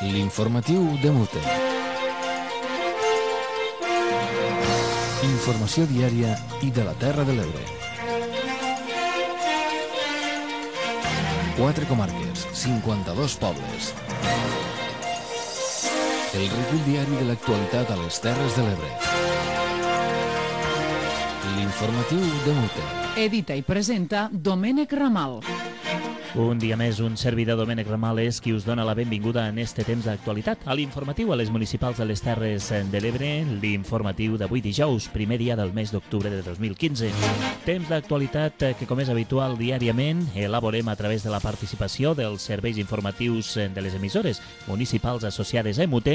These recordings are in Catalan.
L'informatiu de Mute. Informació diària i de la Terra de l'Ebre. 4 comarques, 52 pobles. El recull diari de l'actualitat a les Terres de l'Ebre. L'informatiu de Mute. Edita i presenta Domènec Ramal. Un dia més, un servidor, Domènec Ramal, és qui us dona la benvinguda en este temps d'actualitat a l'informatiu a les municipals de les Terres de l'Ebre, l'informatiu d'avui dijous, primer dia del mes d'octubre de 2015. Temps d'actualitat que, com és habitual diàriament, elaborem a través de la participació dels serveis informatius de les emissores municipals associades a MUT,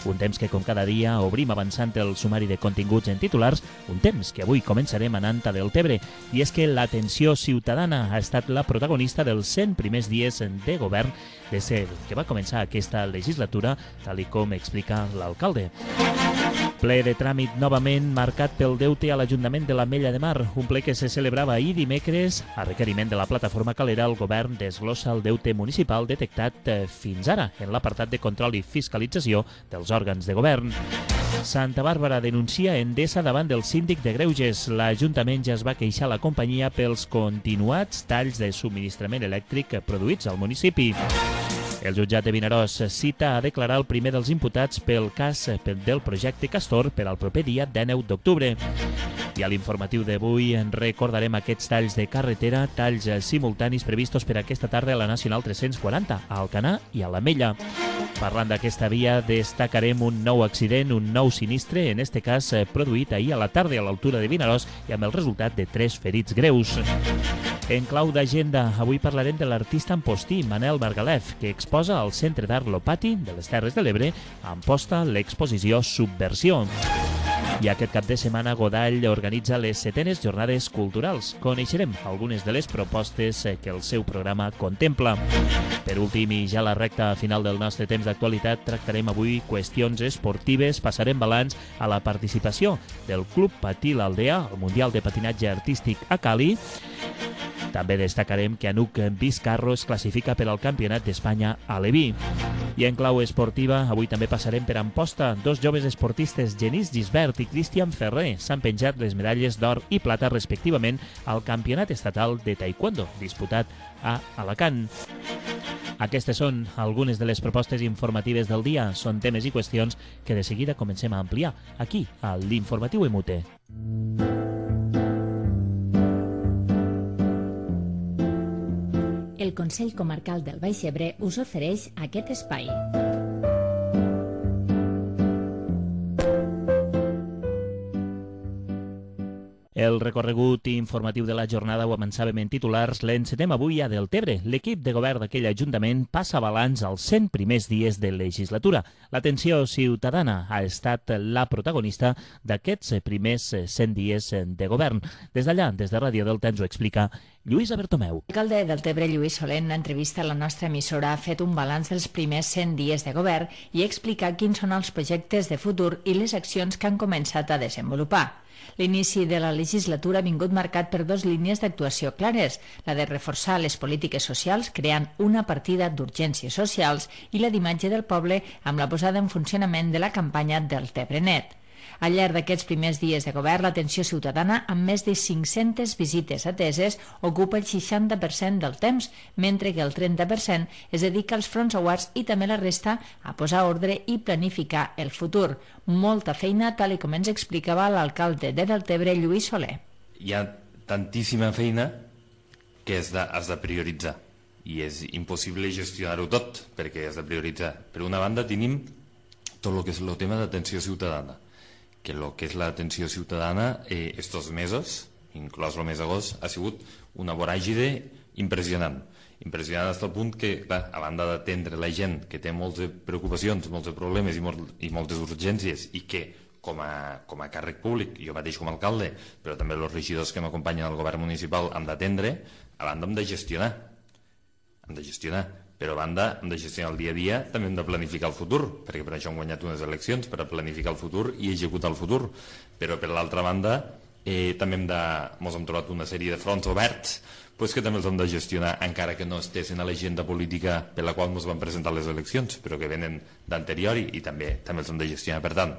un temps que, com cada dia, obrim avançant el sumari de continguts en titulars, un temps que avui començarem anant a Deltebre, i és que l'atenció ciutadana ha estat la protagonista dels 100 primers dies de govern des que va començar aquesta legislatura, tal i com explica l'alcalde. Ple de tràmit novament marcat pel deute a l'Ajuntament de l'Ametlla de Mar, un ple que se celebrava ahir dimecres. A requeriment de la plataforma Calera, el govern desglossa el deute municipal detectat fins ara en l'apartat de control i fiscalització dels òrgans de govern. Santa Bàrbara denuncia Endesa davant del síndic de Greuges. L'Ajuntament ja es va queixar a la companyia pels continuats talls de subministrament elèctric produïts al municipi. El jutjat de Vinaròs cita a declarar el primer dels imputats pel cas del projecte Castor per al proper dia 19 d'octubre. I a l'informatiu d'avui recordarem aquests talls de carretera, talls simultanis previstos per aquesta tarda a la Nacional 340, a Alcanar i a l'Ametlla. Parlant d'aquesta via, destacarem un nou accident, un nou sinistre, en este cas produït ahir a la tarda a l'altura de Vinaròs i amb el resultat de 3 ferits greus. En clau d'agenda, avui parlarem de l'artista ampostí Manel Margalef, que exposa al Centre d'Art Lopati de les Terres de l'Ebre a Amposta l'exposició Subversió. I aquest cap de setmana Godall organitza les 7enes jornades culturals. Coneixerem algunes de les propostes que el seu programa contempla. Per últim, i ja a la recta final del nostre temps d'actualitat, tractarem avui qüestions esportives, passarem balanç a la participació del Club Patí l'Aldea al Mundial de Patinatge Artístic a Cali. També destacarem que Anuc Vizcarro es classifica per al Campionat d'Espanya a Leví. I en clau esportiva, avui també passarem per Amposta. 2 joves esportistes, Genís Gisbert i Cristian Ferrer, s'han penjat les medalles d'or i plata respectivament al Campionat Estatal de Taekwondo, disputat a Alacant. Aquestes són algunes de les propostes informatives del dia. Són temes i qüestions que de seguida comencem a ampliar aquí, a l'Informatiu MUT. El Consell Comarcal del Baix Ebre us ofereix aquest espai. El recorregut informatiu de la jornada ho avançàvem en titulars, l'encetem avui a Deltebre. L'equip de govern d'aquell ajuntament passa balanç als 100 primers dies de legislatura. L'atenció ciutadana ha estat la protagonista d'aquests primers 100 dies de govern. Des d'allà, des de Ràdio Delta, ens ho explica Lluïsa Bertomeu. L'alcalde de Deltebre, Lluís Soler, en l'entrevista a la nostra emissora, ha fet un balanç dels primers 100 dies de govern i ha explicat quins són els projectes de futur i les accions que han començat a desenvolupar. L'inici de la legislatura ha vingut marcat per 2 línies d'actuació clares, la de reforçar les polítiques socials creant una partida d'urgències socials i la d'imatge del poble amb la posada en funcionament de la campanya Deltebre Net. Al llarg d'aquests primers dies de govern, l'atenció ciutadana, amb més de 500 visites ateses, ocupa el 60% del temps, mentre que el 30% es dedica als fronts aguats i també la resta a posar ordre i planificar el futur. Molta feina, tal com ens explicava l'alcalde de Deltebre, Lluís Soler. Hi ha tantíssima feina que has de prioritzar i és impossible gestionar-ho tot perquè has de prioritzar. Per una banda tenim tot el que és el tema d'atenció ciutadana, que el que és l'atenció ciutadana estos mesos, inclòs el mes d'agost, ha sigut una voràgide impressionant. Impressionant fins al punt que, clar, a banda d'atendre la gent que té moltes preocupacions, molts problemes i moltes urgències i que, com a càrrec públic, jo mateix com a alcalde, però també els regidors que m'acompanyen al govern municipal hem d'atendre, a banda hem de gestionar. Però a banda hem de gestionar el dia a dia, també hem de planificar el futur, perquè per això hem guanyat unes eleccions, per a planificar el futur i executar el futur. Però per l'altra banda També ens hem trobat una sèrie de fronts oberts que també els hem de gestionar, encara que no estessin a l'agenda política per la qual ens van presentar les eleccions, però que venen d'anterior i també els hem de gestionar. Per tant,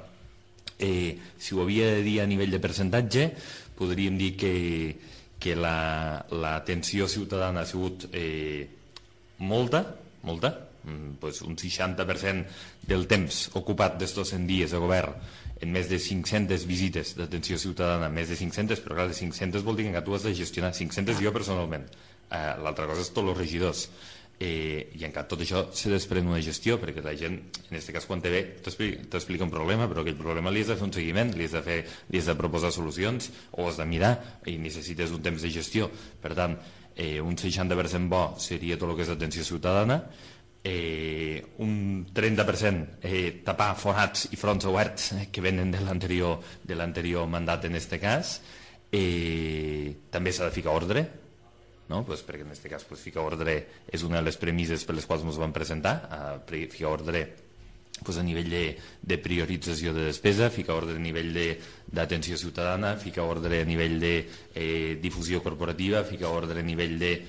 si ho havia de dir a nivell de percentatge, podríem dir que l'atenció ciutadana ha sigut molta, un 60% del temps ocupat d'estos 100 dies de govern en més de 500 visites d'atenció ciutadana, més de 500, però clar, de 500 vol dir que tu has de gestionar 500 jo personalment, l'altra cosa és tots els regidors, i encara tot això se desprèn una gestió, perquè la gent, en aquest cas quan te ve, t'explica un problema, però aquell problema li has de fer un seguiment, li has de proposar solucions, o has de mirar, i necessites un temps de gestió. Per tant, un 60% bo seria tot el que és atenció ciutadana, un 30% tapar forats i fronts oberts que venen de l'anterior mandat en aquest cas. També s'ha de ficar ordre, no? Perquè en aquest cas ficar ordre és una de les premisses per les quals ens van presentar, ficar ordre a nivell de priorització de despesa, ficar ordre a nivell d'atenció ciutadana, ficar ordre a nivell de difusió corporativa, ficar ordre a nivell de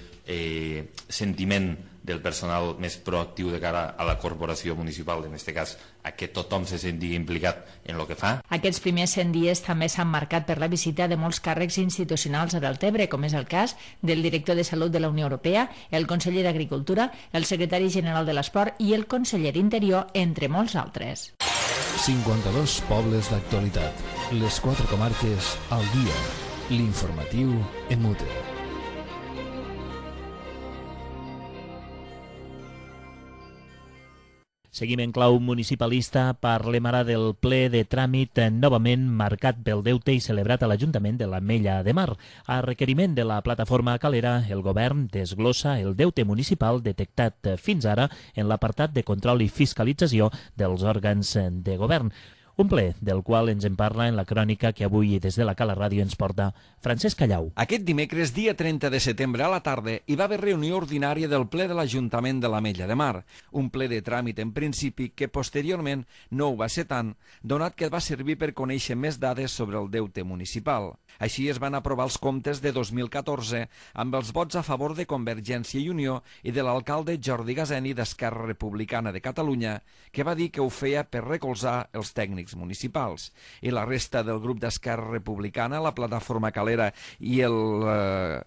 sentiment del personal més proactiu de cara a la corporació municipal, en aquest cas a que tothom se senti implicat en el que fa. Aquests primers 100 dies també s'han marcat per la visita de molts càrrecs institucionals a Deltebre, com és el cas del director de Salut de la Unió Europea, el conseller d'Agricultura, el secretari general de l'Esport i el conseller d'Interior, entre molts altres. 52 pobles d'actualitat. Les 4 comarques al dia. L'informatiu en Mute. Seguim en clau municipalista, parlem ara del ple de tràmit novament marcat pel deute i celebrat a l'Ajuntament de l'Ametlla de Mar. A requeriment de la plataforma Calera, el govern desglossa el deute municipal detectat fins ara en l'apartat de control i fiscalització dels òrgans de govern. Un ple del qual ens en parla en la crònica que avui des de la Cala Ràdio ens porta Francesc Callau. Aquest dimecres, dia 30 de setembre a la tarda, hi va haver reunió ordinària del ple de l'Ajuntament de l'Ametlla de Mar. Un ple de tràmit en principi que posteriorment no ho va ser tant, donat que va servir per conèixer més dades sobre el deute municipal. Així es van aprovar els comptes de 2014 amb els vots a favor de Convergència i Unió i de l'alcalde Jordi Gaseni d'Esquerra Republicana de Catalunya, que va dir que ho feia per recolzar els tècnics municipals. I la resta del grup d'Esquerra Republicana, la plataforma Calera i el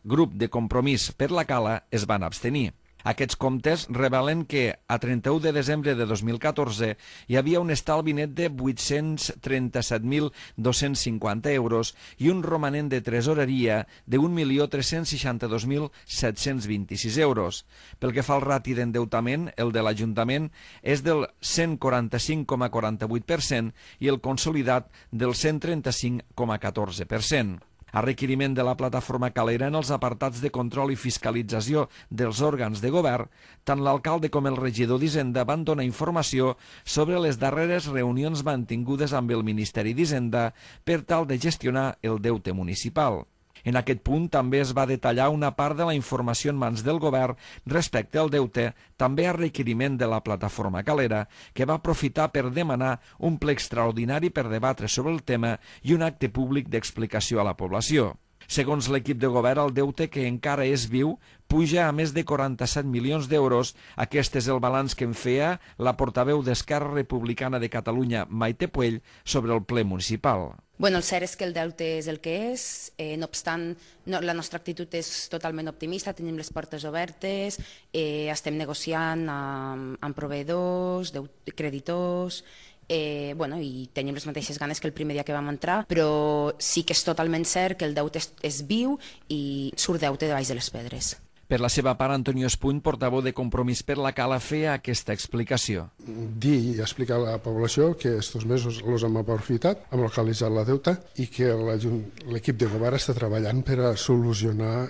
grup de Compromís per la Cala es van abstenir. Aquests comptes revelen que a 31 de desembre de 2014 hi havia un estalvi net de 837.250 euros i un romanent de tresoreria de 1.362.726 euros. Pel que fa al rati d'endeutament, el de l'Ajuntament és del 145,48% i el consolidat del 135,14%. A requeriment de la plataforma Calera en els apartats de control i fiscalització dels òrgans de govern, tant l'alcalde com el regidor d'Hisenda van donar informació sobre les darreres reunions mantingudes amb el Ministeri d'Hisenda per tal de gestionar el deute municipal. En aquest punt també es va detallar una part de la informació en mans del govern respecte al deute, també a requeriment de la plataforma Calera, que va aprofitar per demanar un ple extraordinari per debatre sobre el tema i un acte públic d'explicació a la població. Segons l'equip de govern, el deute, que encara és viu, puja a més de 47 milions d'euros. Aquest és el balanç que en feia la portaveu d'Esquerra Republicana de Catalunya, Maite Puell, sobre el ple municipal. Bueno, el cert és que el deute és el que és, no obstant, la nostra actitud és totalment optimista, tenim les portes obertes, estem negociant amb proveïdors, creditors, i tenim les mateixes ganes que el primer dia que vam entrar, però sí que és totalment cert que el deute és viu i surt deute de baix de les pedres. Per la seva part, Antonio Espuny, portaveu de Compromís per la Cala, feia aquesta explicació. Dir i explicar a la població que estos mesos els hem aprofitat, hem localitzat la deuta i que l'equip de govern està treballant per a solucionar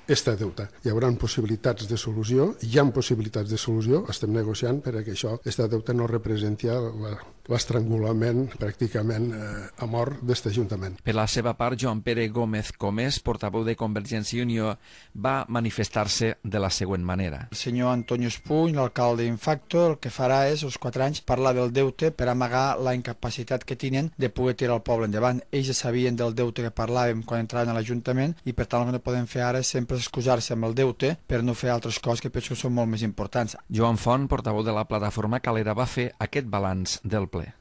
este deute. Hi haurà possibilitats de solució, hi ha possibilitats de solució, estem negociant perquè això, este deute no representi l'estrangulament pràcticament a mort d'aquest Ajuntament. Per la seva part, Joan Pere Gómez Comés, portaveu de Convergència i Unió, va manifestar-se de la següent manera. El senyor Antonio Espuny, l'alcalde Infacto, el que farà és, als 4 anys, parlar del deute per amagar la incapacitat que tenen de poder tirar el poble endavant. Ells ja sabien del deute que parlàvem quan entraven a l'Ajuntament i, per tant, el que no podem fer ara és sempre excusar-se amb el deute per no fer altres coses que penso que són molt més importants. Joan Font, portaveu de la plataforma Calera, va fer aquest balanç del ple.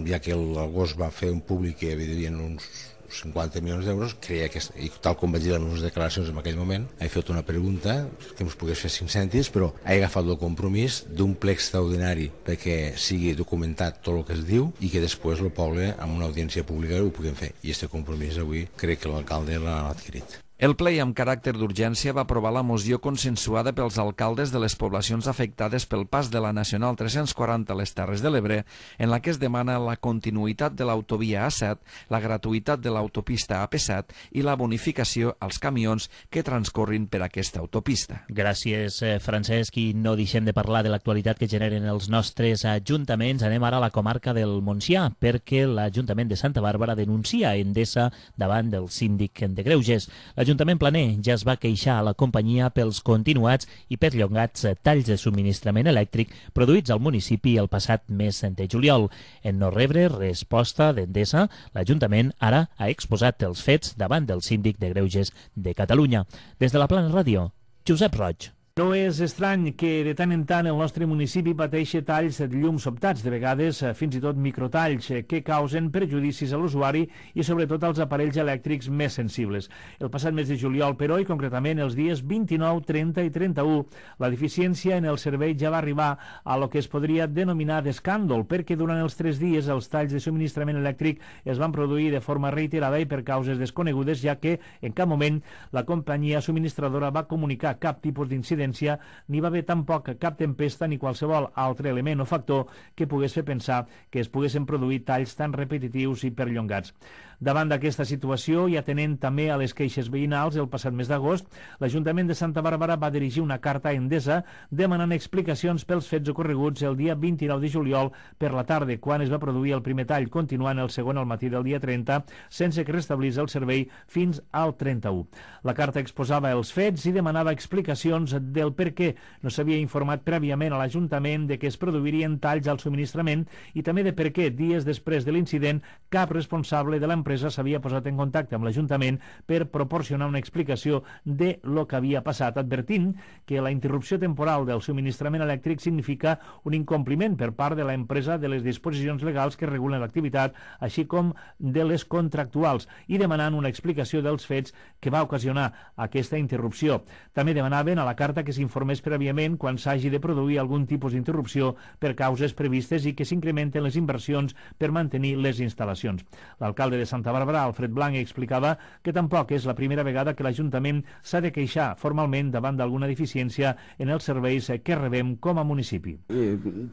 Ja que l'agost va fer un públic que hi havia uns 50 milions d'euros, creia que, i tal com vaig dir en les declaracions en aquell moment, he fet una pregunta que ens pogués fer 5 cèntims, però he agafat el compromís d'un ple extraordinari perquè sigui documentat tot el que es diu i que després el poble, amb una audiència pública, ho puguem fer. I aquest compromís avui crec que l'alcalde l'ha adquirit. El ple, amb caràcter d'urgència, va aprovar la moció consensuada pels alcaldes de les poblacions afectades pel pas de la Nacional 340 a les Terres de l'Ebre, en la que es demana la continuïtat de l'autovia A7, la gratuïtat de l'autopista AP7 i la bonificació als camions que transcorrin per aquesta autopista. Gràcies, Francesc, i no deixem de parlar de l'actualitat que generen els nostres ajuntaments. Anem ara a la comarca del Montsià, perquè l'Ajuntament de Santa Bàrbara denuncia Endesa davant del síndic de Greuges. L'Ajuntament planer ja es va queixar a la companyia pels continuats i perllongats talls de subministrament elèctric produïts al municipi el passat mes de juliol. En no rebre resposta d'Endesa, l'Ajuntament ara ha exposat els fets davant del síndic de Greuges de Catalunya. Des de la Plana Ràdio, Josep Roig. No és estrany que de tant en tant el nostre municipi pateixi talls de llum sobtats, de vegades fins i tot microtalls, que causen perjudicis a l'usuari i sobretot als aparells elèctrics més sensibles. El passat mes de juliol, però, i concretament els dies 29, 30 i 31, la deficiència en el servei ja va arribar a lo que es podria denominar d'escàndol, perquè durant els 3 dies els talls de subministrament elèctric es van produir de forma reiterada i per causes desconegudes, ja que en cap moment la companyia subministradora va comunicar cap tipus d'incident, ni va haver tampoc cap tempesta ni qualsevol altre element o factor que pogués fer pensar que es poguessin produir talls tan repetitius i perllongats. Davant d'aquesta situació i atenent també a les queixes veïnals, el passat mes d'agost, l'Ajuntament de Santa Bàrbara va dirigir una carta a Endesa demanant explicacions pels fets ocorreguts el dia 29 de juliol per la tarda, quan es va produir el primer tall, continuant el segon al matí del dia 30, sense que restablís el servei fins al 31. La carta exposava els fets i demanava explicacions del per què no s'havia informat prèviament a l'Ajuntament de que es produirien talls al subministrament i també de per què, dies després de l'incident, cap responsable de l'empresa s'havia posat en contacte amb l'Ajuntament per proporcionar una explicació de lo que havia passat, advertint que la interrupció temporal del subministrament elèctric significa un incompliment per part de l'empresa de les disposicions legals que regulen l'activitat, així com de les contractuals, i demanant una explicació dels fets que va ocasionar aquesta interrupció. També demanaven a la carta que s'informés prèviament quan s'hagi de produir algun tipus d'interrupció per causes previstes i que s'incrementen les inversions per mantenir les instal·lacions. L'alcalde de Santa Bàrbara, Alfred Blanc, explicava que tampoc és la primera vegada que l'Ajuntament s'ha de queixar formalment davant d'alguna deficiència en els serveis que rebem com a municipi.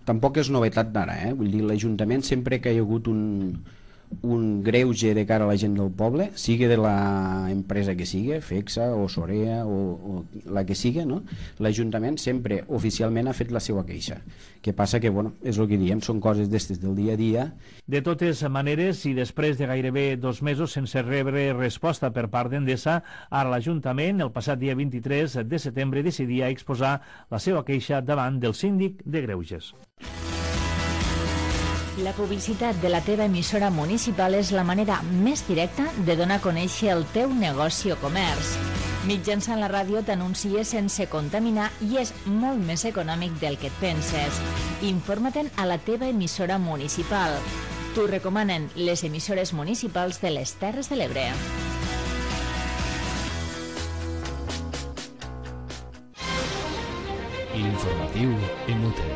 Tampoc és novetat d'ara, Vull dir, l'Ajuntament sempre que hi ha hagut un greuge de cara a la gent del poble, sigui de l'empresa que sigui, FEXA o Sorea o la que sigui, no? L'Ajuntament sempre oficialment ha fet la seva queixa. Que passa que, és el que diem, són coses d'estes del dia a dia. De totes maneres, i després de gairebé 2 mesos sense rebre resposta per part d'Endesa, ara l'Ajuntament, el passat dia 23 de setembre, decidia exposar la seva queixa davant del síndic de Greuges. La publicitat de la teva emissora municipal és la manera més directa de donar a conèixer el teu negoci o comerç. Mitjançant la ràdio t'anuncies sense contaminar i és molt més econòmic del que et penses. Informa-te'n a la teva emissora municipal. T'ho recomanen les emissores municipals de les Terres de l'Ebre. L'informatiu en UTE.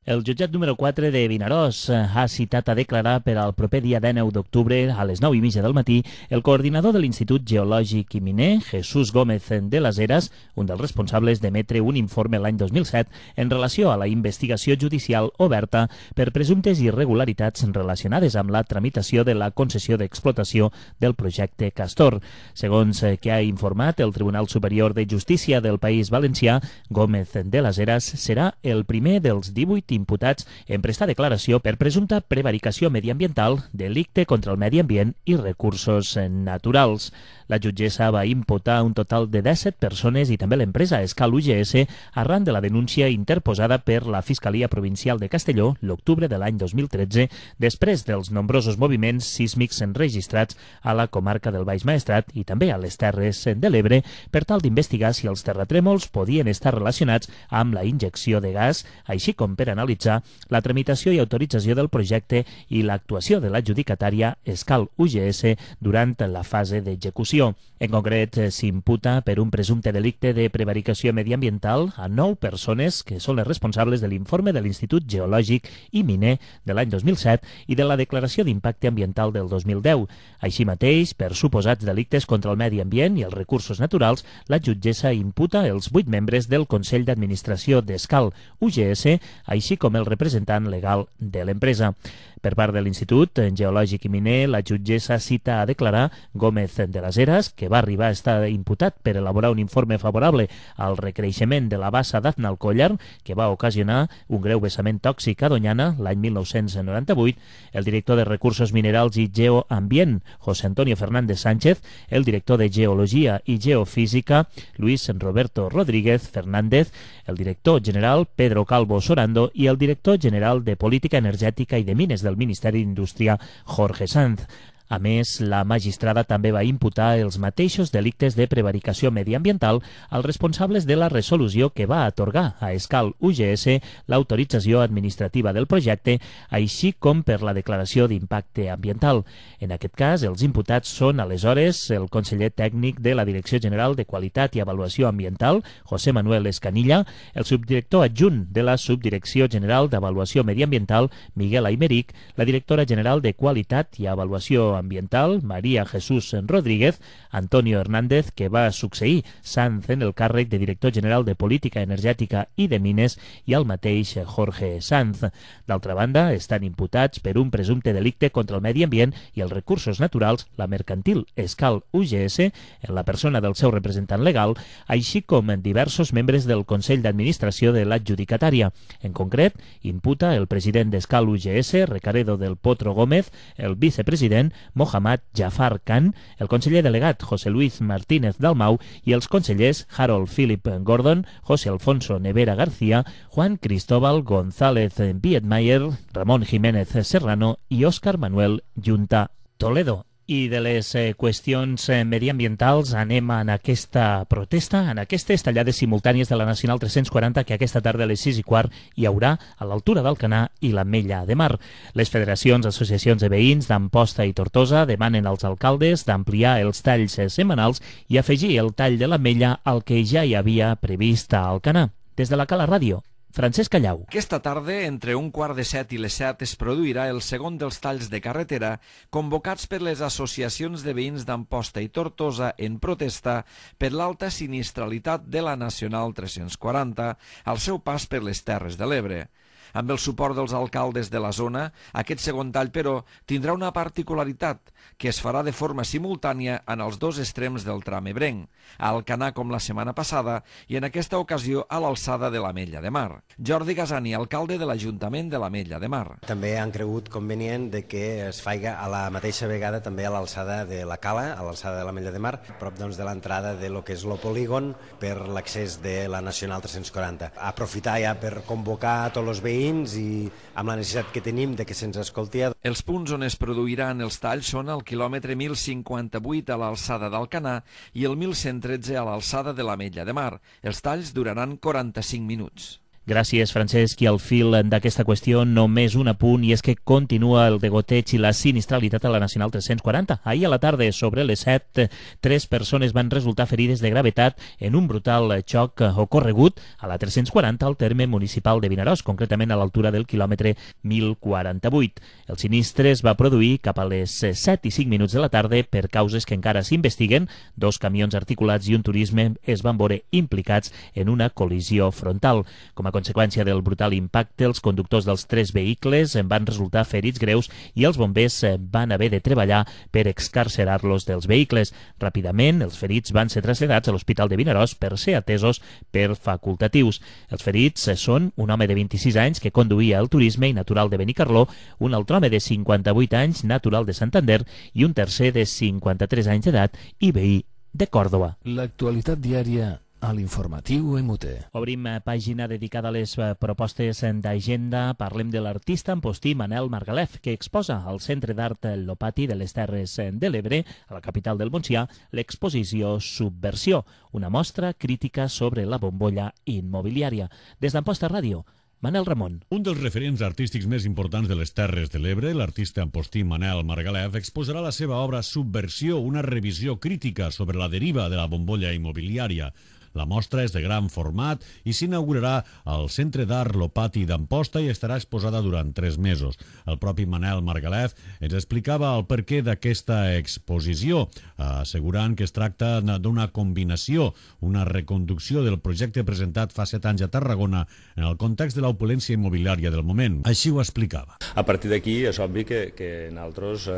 El jutjat número 4 de Vinaròs ha citat a declarar per al proper dia 19 d'octubre a les 9:30 del matí el coordinador de l'Institut Geològic i Miner, Jesús Gómez de las Heras, un dels responsables d'emetre un informe l'any 2007 en relació a la investigació judicial oberta per presumptes irregularitats relacionades amb la tramitació de la concessió d'explotació del projecte Castor. Segons que ha informat el Tribunal Superior de Justícia del País Valencià, Gómez de las Heras serà el primer dels 18 imputats en prestar declaració per presumpta prevaricació mediambiental, delicte contra el medi ambient i recursos naturals. La jutgessa va imputar un total de 17 persones i també l'empresa Escal UGS arran de la denúncia interposada per la Fiscalia Provincial de Castelló l'octubre de l'any 2013, després dels nombrosos moviments sísmics enregistrats a la comarca del Baix Maestrat i també a les Terres de l'Ebre, per tal d'investigar si els terratrèmols podien estar relacionats amb la injecció de gas, així com per analitzar la tramitació i autorització del projecte i l'actuació de l'adjudicatària Escal UGS durant la fase d'execució. En concret, s'imputa per un presumpte delicte de prevaricació mediambiental a 9 persones que són les responsables de l'informe de l'Institut Geològic i Miner de l'any 2007 i de la declaració d'impacte ambiental del 2010. Així mateix, per suposats delictes contra el medi ambient i els recursos naturals, la jutgessa imputa els 8 membres del Consell d'Administració d'Escal UGS, així com el representant legal de l'empresa. Per part de l'Institut Geològic i Miner, la jutgessa cita a declarar Gómez de las Heras, que va arribar a estar imputat per elaborar un informe favorable al recreixement de la bassa d'Aznalcóllar, que va ocasionar un greu vessament tòxic a Doñana l'any 1998, el director de Recursos Minerals i Geoambient, José Antonio Fernández Sánchez, el director de Geologia i Geofísica, Luis Roberto Rodríguez Fernández, el director general Pedro Calvo Sorando i el director general de Política Energètica i de Mines del Ministeri d'Indústria, Jorge Sanz. A més, la magistrada també va imputar els mateixos delictes de prevaricació mediambiental als responsables de la resolució que va atorgar a Escal UGS l'autorització administrativa del projecte, així com per la declaració d'impacte ambiental. En aquest cas, els imputats són aleshores el conseller tècnic de la Direcció General de Qualitat i Avaluació Ambiental, José Manuel Escanilla, el subdirector adjunt de la Subdirecció General d'Avaluació Mediambiental, Miguel Aymeric, la directora general de Qualitat i Avaluació Ambiental, María Jesús Rodríguez, Antonio Hernández, que va succeir Sanz en el càrrec de director general de Política Energètica i de Mines, i el mateix Jorge Sanz. D'altra banda, estan imputats per un presumpte delicte contra el medi ambient i els recursos naturals la mercantil Escal UGS, en la persona del seu representant legal, així com diversos membres del Consell d'Administració de l'adjudicatària. En concret, imputa el president d'Escal UGS, Recaredo del Potro Gómez, el vicepresident Mohammad Jafar Khan, el conseller delegat José Luis Martínez Dalmau i els consellers Harold Philip Gordon, José Alfonso Nevera García, Juan Cristóbal González Biedmayer, Ramón Jiménez Serrano i Óscar Manuel Junta Toledo. I de les qüestions mediambientals anem en aquesta protesta, en aquestes tallades simultànies de la Nacional 340 que aquesta tarda a les 6:15 hi haurà a l'altura d'Alcanar i l'Ametlla de Mar. Les federacions, associacions de veïns d'Amposta i Tortosa demanen als alcaldes d'ampliar els talls setmanals i afegir el tall de l'Ametlla al que ja hi havia previst a Alcanar. Des de la Cala Ràdio, Francesc Callau. Aquesta tarda, entre 6:15 i les 7, es produirà el segon dels talls de carretera convocats per les associacions de veïns d'Amposta i Tortosa en protesta per l'alta sinistralitat de la Nacional 340 al seu pas per les Terres de l'Ebre. Amb el suport dels alcaldes de la zona, aquest segon tall, però, tindrà una particularitat, que es farà de forma simultània en els dos extrems del tram ebrenc, a Alcanar com la setmana passada i en aquesta ocasió a l'alçada de l'Ametlla de Mar. Jordi Gasani, alcalde de l'Ajuntament de l'Ametlla de Mar. També han cregut convenient de que es faiga a la mateixa vegada també a l'alçada de la Cala, a l'alçada de l'Ametlla de Mar, prop doncs, de l'entrada de lo que és el polígon per l'accés de la Nacional 340. Aprofitar ja per convocar a tots els veïns i amb la necessitat que tenim de que se'ns escolti. Els punts on es produiran els talls són el quilòmetre 1058 a l'alçada d'Alcanar i el 1113 a l'alçada de l'Ametlla de Mar. Els talls duraran 45 minuts. Gràcies, Francesc. I al fil d'aquesta qüestió, només un apunt, i és que continua el degoteig i la sinistralitat a la Nacional 340. Ahir a la tarda, sobre les 7, 3 persones van resultar ferides de gravetat en un brutal xoc ocorregut a la 340 al terme municipal de Vinaròs, concretament a l'altura del quilòmetre 1048. El sinistre es va produir cap a les 7 i 5 minuts de la tarda per causes que encara s'investiguen. 2 camions articulats i un turisme es van veure implicats en una col·lisió frontal. Com a conseqüència del brutal impacte, els conductors dels 3 vehicles van resultar ferits greus i els bombers van haver de treballar per excarcerar-los dels vehicles. Ràpidament, els ferits van ser traslladats a l'Hospital de Vinaròs per ser atesos per facultatius. Els ferits són un home de 26 anys que conduïa el turisme i natural de Benicarló, un altre home de 58 anys, natural de Santander, i un tercer de 53 anys d'edat i veí de Còrdova. L'actualitat diària a l'informatiu MUT. Obrim pàgina dedicada a les propostes d'agenda. Parlem de l'artista empostí Manel Margalef, que exposa al Centre d'Art Lopati de les Terres de l'Ebre, a la capital del Montsià, l'exposició Subversió, una mostra crítica sobre la bombolla immobiliària. Des d'Amposta Ràdio, Manel Ramon. Un dels referents artístics més importants de les Terres de l'Ebre, l'artista empostí Manel Margalef, exposarà la seva obra Subversió, una revisió crítica sobre la deriva de la bombolla immobiliària. La mostra és de gran format i s'inaugurarà al Centre d'Art Lopati d'Amposta i estarà exposada durant 3 mesos. El propi Manel Margalef ens explicava el perquè d'aquesta exposició, assegurant que es tracta d'una combinació, una reconducció del projecte presentat fa 7 anys a Tarragona en el context de l'opulència immobiliària del moment. Així ho explicava. A partir d'aquí és obvi que nosaltres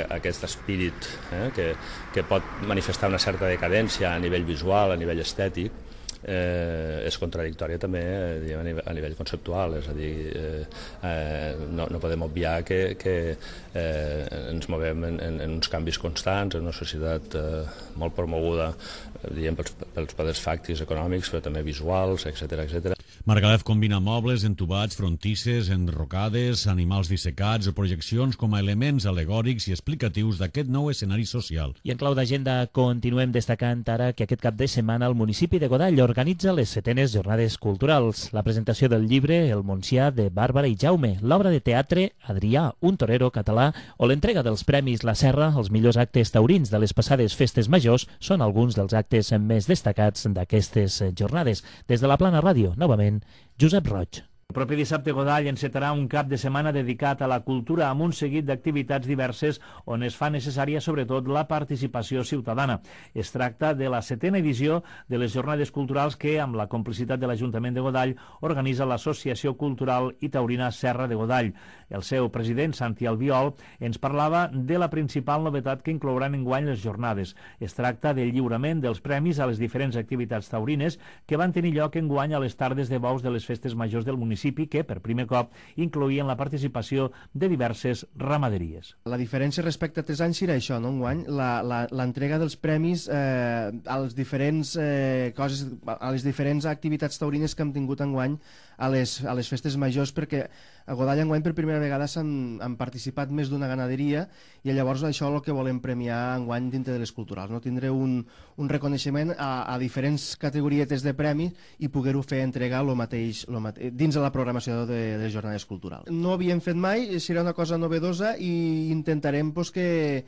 aquest espírit que pot manifestar una certa decadència a nivell visual, a nivell estètic, és contradictòria també a nivell conceptual, és a dir, no podem obviar que ens movem en uns canvis constants, en una societat molt promoguda pels poders fàctics econòmics, però també visuals, etc. Margalef combina mobles, entubats, frontisses, enrocades, animals dissecats o projeccions com a elements alegòrics i explicatius d'aquest nou escenari social. I en clau d'agenda continuem destacant ara que aquest cap de setmana el municipi de Godall organitza les 7enes jornades culturals. La presentació del llibre El Montsià de Bàrbara i Jaume, l'obra de teatre Adrià, un torero català, o l'entrega dels premis La Serra, els millors actes taurins de les passades festes majors, són alguns dels actes més destacats d'aquestes jornades. Des de la Plana Ràdio, novament, Josep Roig. El propi dissabte Godall encetarà un cap de setmana dedicat a la cultura amb un seguit d'activitats diverses on es fa necessària sobretot la participació ciutadana. Es tracta de la 7a edició de les jornades culturals que, amb la complicitat de l'Ajuntament de Godall, organitza l'Associació Cultural i Taurina Serra de Godall. El seu president, Santi Albiol, ens parlava de la principal novetat que inclouran enguany les jornades. Es tracta del lliurament dels premis a les diferents activitats taurines que van tenir lloc enguany a les tardes de bous de les festes majors del municipi, que per primer cop incloïen la participació de diverses ramaderies. La diferència respecte a 3 anys serà això, no? Enguany, l'entrega dels premis a les diferents coses, a les diferents activitats taurines que hem tingut enguany a les festes majors, perquè a Godall enguany per primera vegada han participat més d'una ganaderia i llavors això és el que volem premiar enguany dintre de les culturals, no? Tindre un reconeixement a diferents categorietes de premis i poder-ho fer entregar mateix dins de la programació de les jornades culturals. No havíem fet mai, serà una cosa novedosa i intentarem que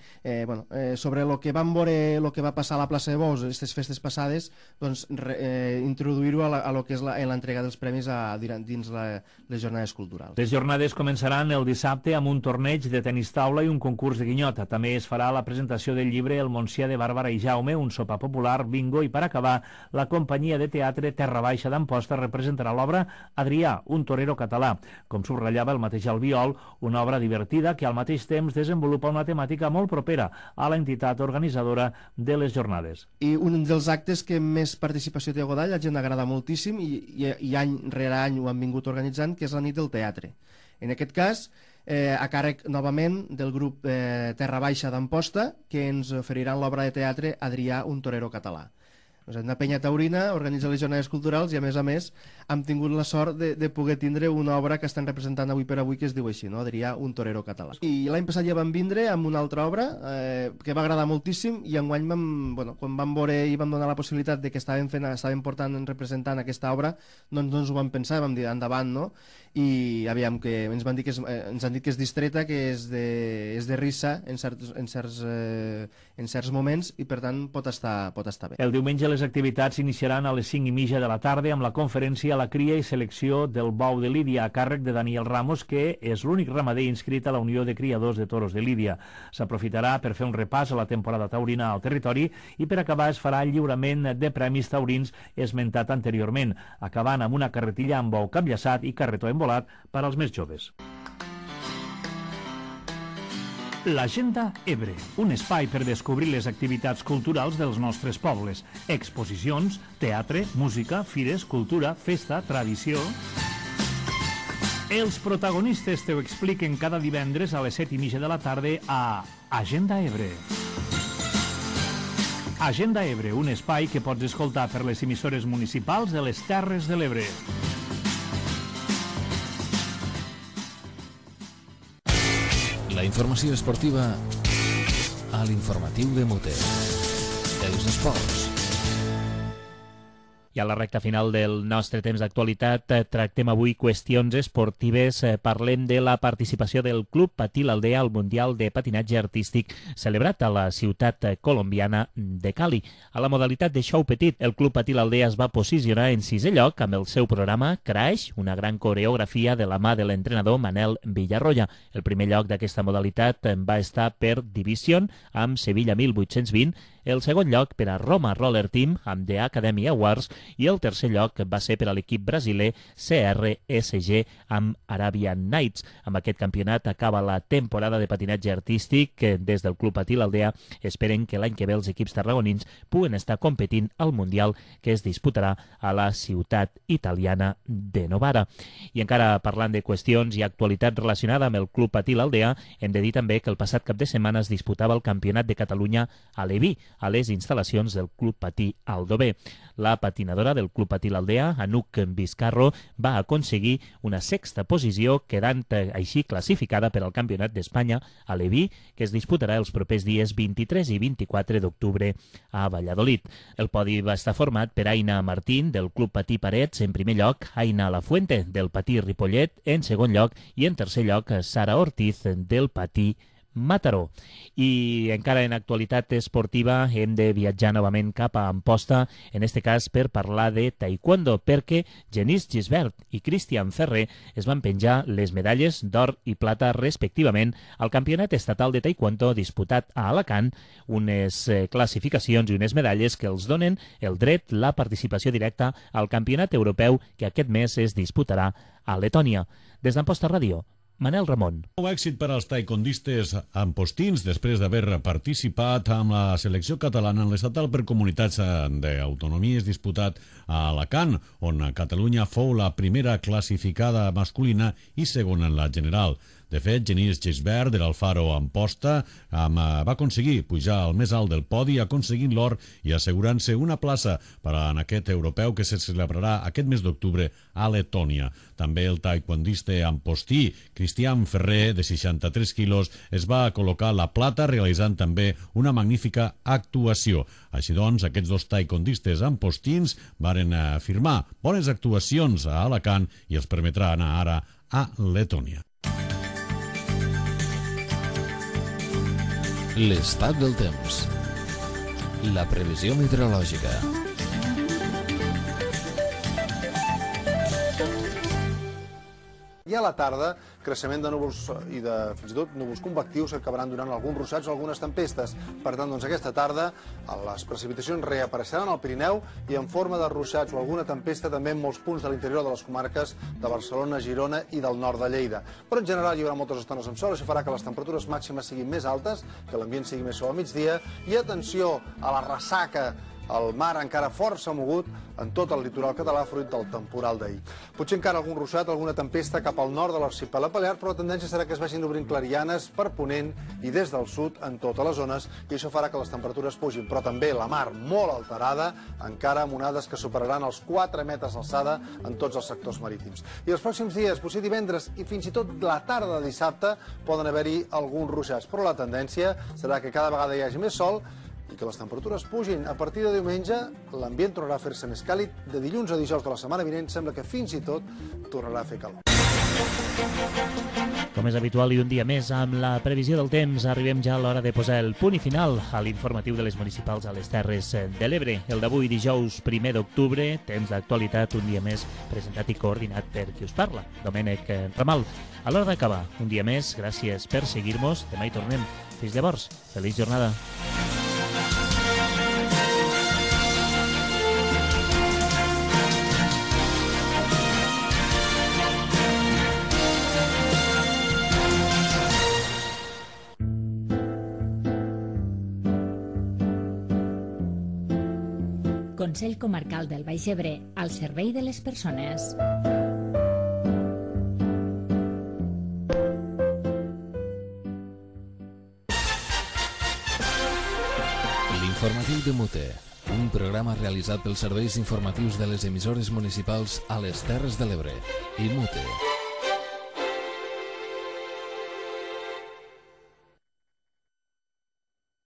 sobre el que vam veure, el que va passar a la plaça de Bous aquestes festes passades, introduir-ho a lo que és l'entrega dels premis dins les jornades culturals. Les jornades començaran el dissabte amb un torneig de tenis taula i un concurs de guinyota. També es farà la presentació del llibre El Montsià de Bàrbara i Jaume, un sopar popular, bingo, i per acabar, la companyia de teatre Terra Baixa d'Amposta representarà l'obra Adrià, un torero català. Com subratllava el mateix Albiol, una obra divertida que al mateix temps desenvolupa una temàtica molt propera a l'entitat organitzadora de les jornades. I un dels actes que més participació té a Godall, a la gent agrada moltíssim i any rere any ho han vingut organitzant, que és la nit del teatre. En aquest cas, a càrrec novament del grup Terra Baixa d'Amposta, que ens oferiran l'obra de teatre Adrià, un torero català. Una penya taurina organitza les jornades culturals i, a més, hem tingut la sort de poder tindre una obra que estan representant avui per avui, que es diu així, no? Adrià, un torero català. I l'any passat ja vam vindre amb una altra obra que va agradar moltíssim, i enguany quan vam veure i vam donar la possibilitat de que estàvem representant aquesta obra, doncs no ens ho vam pensar, vam dir endavant, no? I aviam, que ens han dit que és distreta, que és de risa en certs moments, i per tant pot estar bé. El diumenge les activitats s'iniciaran a les 5:30 de la tarda amb la conferència La cria i selecció del bou de Lídia, a càrrec de Daniel Ramos, que és l'únic ramader inscrit a la Unió de Criadors de Toros de Lídia. S'aprofitarà per fer un repàs a la temporada taurina al territori, i per acabar es farà el lliurament de premis taurins esmentat anteriorment, acabant amb una carretilla amb bou capllaçat i carretó embolat per als més joves. L'Agenda Ebre, un espai per descobrir les activitats culturals dels nostres pobles. Exposicions, teatre, música, fires, cultura, festa, tradició... Els protagonistes te ho expliquen cada divendres a les 7:30 de la tarda a Agenda Ebre. Agenda Ebre, un espai que pots escoltar per les emissores municipals de les Terres de l'Ebre. La informació esportiva a l'informatiu de Muter. Els esports. I a la recta final del nostre temps d'actualitat tractem avui qüestions esportives. Parlem de la participació del Club Patí l'Aldea al Mundial de Patinatge Artístic celebrat a la ciutat colombiana de Cali. A la modalitat de show petit, el Club Patí l'Aldea es va posicionar en 6è lloc amb el seu programa Crash, una gran coreografia de la mà de l'entrenador Manel Villarroya. El primer lloc d'aquesta modalitat va estar per Division amb Sevilla 1820, el segon lloc per a Roma Roller Team amb The Academy Awards, i el tercer lloc va ser per a l'equip brasiler CRSG amb Arabian Nights. Amb aquest campionat acaba la temporada de patinatge artístic. Des del Club Patí l'Aldea esperen que l'any que ve els equips tarragonins puguen estar competint al Mundial, que es disputarà a la ciutat italiana de Novara. I encara parlant de qüestions i actualitat relacionada amb el Club Patí l'Aldea, hem de dir també que el passat cap de setmana es disputava el Campionat de Catalunya a Leví, a les instal·lacions del Club Patí Aldover. La patinadora del Club Patí l'Aldea, Anuc Vizcarro, va aconseguir una 6a posició, quedant així classificada per al Campionat d'Espanya a Leví, que es disputarà els propers dies 23 i 24 d'octubre a Valladolid. El podi va estar format per Aina Martín, del Club Patí Parets, en primer lloc, Aina Lafuente, del Patí Ripollet, en segon lloc, i en tercer lloc, Sara Ortiz, del Patí Mataró. I encara en actualitat esportiva hem de viatjar novament cap a Amposta, en este cas per parlar de taekwondo, perquè Genís Gisbert i Cristian Ferrer es van penjar les medalles d'or i plata respectivament al Campionat Estatal de Taekwondo disputat a Alacant, unes classificacions i unes medalles que els donen el dret, la participació directa al Campionat Europeu que aquest mes es disputarà a Letònia. Des d'Amposta Ràdio, Manel Ramon. Un èxit per als taekwondistes ampostins després d'haver participat amb la selecció catalana en l'estatal per comunitats d'autonomies disputat a Alacant, on Catalunya fou la primera classificada masculina i segona en la general. De fet, Genís Gisbert de l'Alfaro Amposta va aconseguir pujar al més alt del podi, aconseguint l'or i assegurant-se una plaça per en aquest europeu que se celebrarà aquest mes d'octubre a Letònia. També el taekwondista ampostí Cristian Ferrer, de 63 quilos, es va col·locar la plata realitzant també una magnífica actuació. Així doncs, aquests dos taekwondistes ampostins varen firmar bones actuacions a Alacant i els permetrà anar ara a Letònia. L'estat del temps. La previsió meteorològica. I a la tarda, creixement de núvols i de fins i tot núvols convectius que acabaran donant alguns ruixats o algunes tempestes. Per tant, doncs, aquesta tarda les precipitacions reapareixeran al Pirineu i en forma de ruixats o alguna tempesta també en molts punts de l'interior de les comarques de Barcelona, Girona i del nord de Lleida. Però en general hi haurà moltes estones amb sol, això farà que les temperatures màximes siguin més altes, que l'ambient sigui més suau a migdia, i atenció a la ressaca el mar encara força mogut en tot el litoral català fruit del temporal d'ahir. Potser encara algun ruixat, alguna tempesta cap al nord de l'arxipèlag balear, però la tendència serà que es vagin obrint clarianes per ponent i des del sud en totes les zones, i això farà que les temperatures pugin, però també la mar molt alterada, encara amb onades que superaran els 4 metres d'alçada en tots els sectors marítims. I els pròxims dies, potser divendres i fins i tot la tarda de dissabte, poden haver-hi alguns ruixats, però la tendència serà que cada vegada hi hagi més sol i que les temperatures pugin. A partir de diumenge, l'ambient tornarà a fer-se més càlid. De dilluns a dijous de la setmana vinent sembla que fins i tot tornarà a fer calor. Com és habitual i un dia més, amb la previsió del temps, arribem ja a l'hora de posar el punt i final a l'informatiu de les municipals a les Terres de l'Ebre. El d'avui, dijous 1 d'octubre, temps d'actualitat, un dia més presentat i coordinat per qui us parla, Domènec Ramal. A l'hora d'acabar, un dia més, gràcies per seguir-nos. Demà hi tornem. Fins llavors, feliç jornada. Consell Comarcal del Baix Ebre, al servei de les persones. L'informatiu de Mute, un programa realitzat pels serveis informatius de les emissores municipals a les Terres de l'Ebre i Mute.